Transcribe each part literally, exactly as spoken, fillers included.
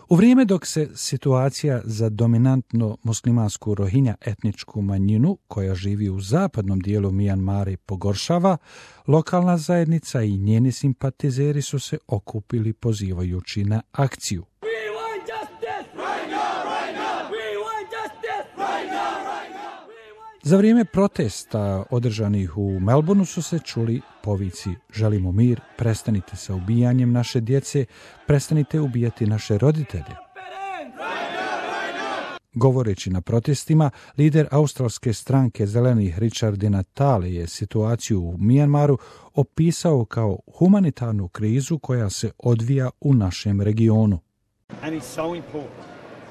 U vrijeme dok se situacija za dominantno muslimansku Rohinja etničku manjinu koja živi u zapadnom dijelu Mijanmara pogoršava, lokalna zajednica i njeni simpatizeri su se okupili pozivajući na akciju. Za vrijeme protesta održanih u Melbourneu su se čuli povici želimo mir, prestanite sa ubijanjem naše djece, prestanite ubijati naše roditelje. Govoreći na protestima, lider australske stranke Zelenih Richard Di Natale je situaciju u Mijanmaru opisao kao humanitarnu krizu koja se odvija u našem regionu. And it's so important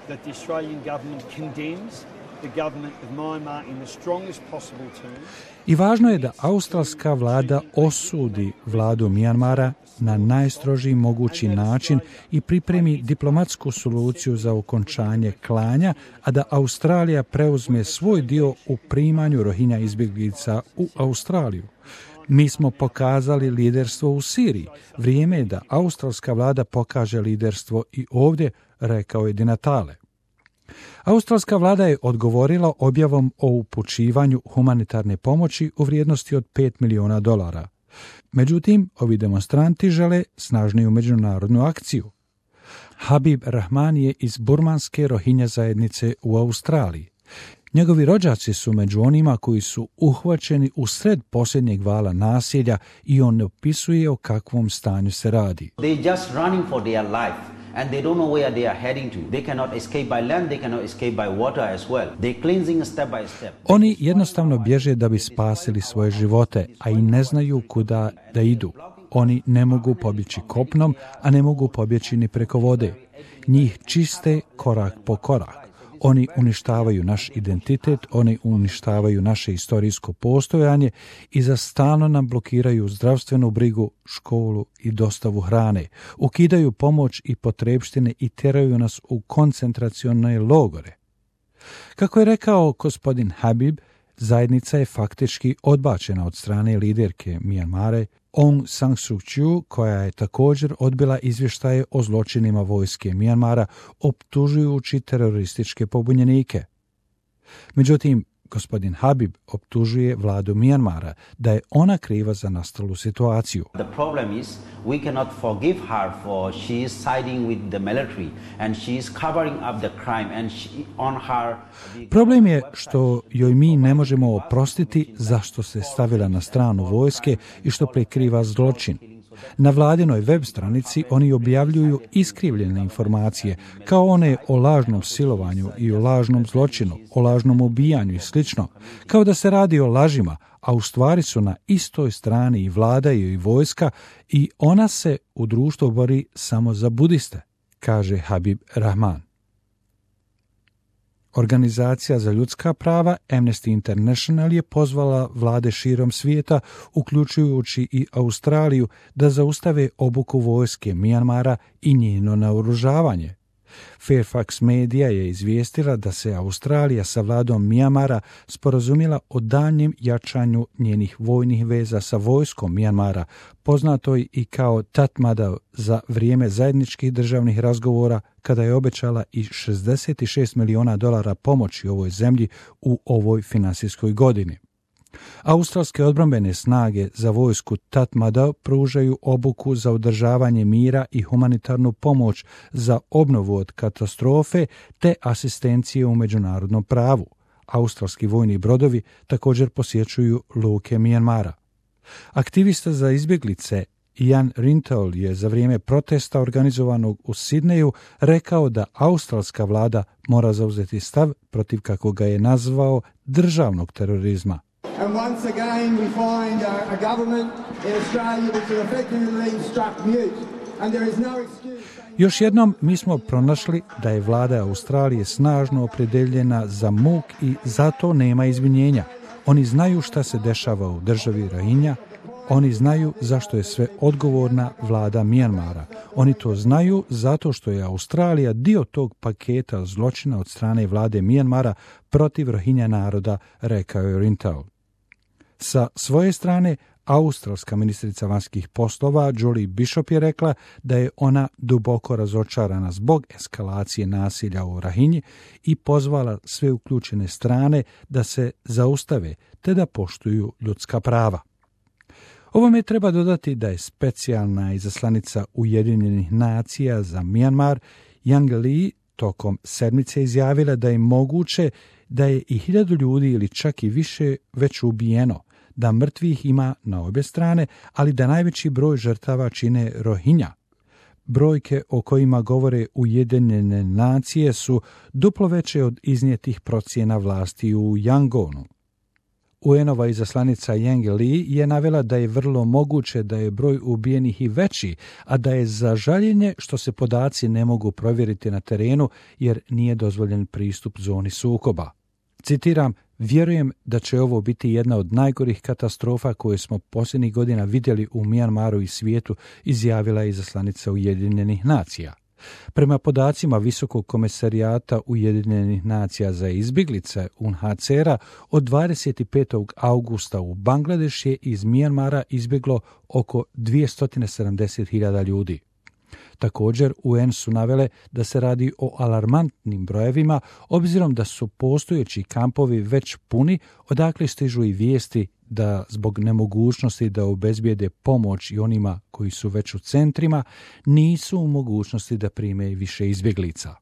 that the Australian government condemns the government of Myanmar in the strongest possible terms. I važno je da australska vlada osudi vladu Mijanmara na najstrožiji mogući način i pripremi diplomatsku soluciju za okončanje klanja, a da Australija preuzme svoj dio u primanju Rohinja izbjeglica u Australiju. Mi smo pokazali liderstvo u Siriji. Vrijeme je da australska vlada pokaže liderstvo i ovdje, rekao je Di Natale. Australska vlada je odgovorila objavom o upućivanju humanitarne pomoći u vrijednosti od pet milijuna dolara. Međutim, ovi demonstranti žele snažniju međunarodnu akciju. Habib Rahman je iz burmanske Rohinja zajednice u Australiji. Njegovi rođaci su među onima koji su uhvaćeni u sred posljednjeg vala nasilja i on ne opisuje o kakvom stanju se radi. They just running for their life. And they don't know where they are heading to. They cannot escape by land, they cannot escape by water as well. They cleansing step by step. Oni jednostavno bježe da bi spasili svoje živote, a i ne znaju kuda da idu. Oni ne mogu pobjeći kopnom, a ne mogu pobjeći ni preko vode. Njih čiste korak po korak. Oni uništavaju naš identitet, oni uništavaju naše istorijsko postojanje i za stalno nam blokiraju zdravstvenu brigu, školu i dostavu hrane. Ukidaju pomoć i potrepštine i tjeraju nas u koncentracione logore. Kako je rekao gospodin Habib, zajednica je faktički odbačena od strane liderke Mijanmara Aung San Suu Kyi, koja je također odbila izvještaje o zločinima vojske Mijanmara, optužujući terorističke pobunjenike. Međutim, gospodin Habib optužuje vladu Mijanmara da je ona kriva za nastalu situaciju. The problem is we cannot forgive her for she is siding with the military and she is covering up the crime and she, on her. Problem je što joj mi ne možemo oprostiti zašto se stavila na stranu vojske i što prikriva zločin. Na vladinoj web stranici oni objavljuju iskrivljene informacije, kao one o lažnom silovanju i o lažnom zločinu, o lažnom ubijanju i slično, kao da se radi o lažima, a u stvari su na istoj strani i vlada i vojska i ona se u društvu bori samo za budiste, kaže Habib Rahman. Organizacija za ljudska prava Amnesty International je pozvala vlade širom svijeta, uključujući i Australiju, da zaustave obuku vojske Mijanmara i njeno naoružavanje. Fairfax Media je izvijestila da se Australija sa vladom Mijanmara sporazumjela o daljnjem jačanju njenih vojnih veza sa vojskom Mijanmara, poznatoj i kao Tatmadaw, za vrijeme zajedničkih državnih razgovora kada je obećala i šezdeset šest milijuna dolara pomoći ovoj zemlji u ovoj finansijskoj godini. Australske odbrambene snage za vojsku Tatmadaw pružaju obuku za održavanje mira i humanitarnu pomoć za obnovu od katastrofe te asistencije u međunarodnom pravu. Australski vojni brodovi također posjećuju luke Mijanmara. Aktivista za izbjeglice Ian Rintoul je za vrijeme protesta organizovanog u Sidneju rekao da australska vlada mora zauzeti stav protiv, kako ga je nazvao, državnog terorizma. And once again we find a, a government in Australia which has effectively struck mute. And there is no excuse. Još jednom mi smo pronašli da je vlada Australije snažno opredeljena za muk i zato nema izvinjenja. Oni znaju šta se dešava u državi Rohinja, oni znaju zašto je sve odgovorna vlada Mijanmara. Oni to znaju zato što je Australija dio tog paketa zločina od strane vlade Mijanmara protiv Rohinja naroda, rekao je Rintoul. Sa svoje strane, Australska ministrica vanjskih poslova Julie Bishop je rekla da je ona duboko razočarana zbog eskalacije nasilja u Rahinji i pozvala sve uključene strane da se zaustave te da poštuju ljudska prava. Ovome treba dodati da je specijalna izaslanica Ujedinjenih nacija za Myanmar Yang Lee tokom sedmice izjavila da je moguće da je i hiljadu ljudi ili čak i više već ubijeno, da mrtvih ima na obje strane, ali da najveći broj žrtava čine Rohingya. Brojke o kojima govore Ujedinjene nacije su duplo veće od iznijetih procjena vlasti u Yangonu. U en-ova izaslanica Yang Lee je navela da je vrlo moguće da je broj ubijenih i veći, a da je za žaljenje što se podaci ne mogu provjeriti na terenu jer nije dozvoljen pristup zoni sukoba. Citiram, vjerujem da će ovo biti jedna od najgorih katastrofa koje smo posljednjih godina vidjeli u Myanmaru i svijetu, izjavila je izaslanica Ujedinjenih nacija. Prema podacima Visokog komesarijata Ujedinjenih nacija za izbjeglice U N H C R-a, od dvadeset petog augusta u Bangladeš je iz Myanmara izbjeglo oko dvjesto sedamdeset hiljada ljudi. Također, U N su navele da se radi o alarmantnim brojevima, obzirom da su postojeći kampovi već puni, odakle stižu i vijesti da zbog nemogućnosti da obezbijede pomoć i onima koji su već u centrima, nisu u mogućnosti da prime više izbjeglica.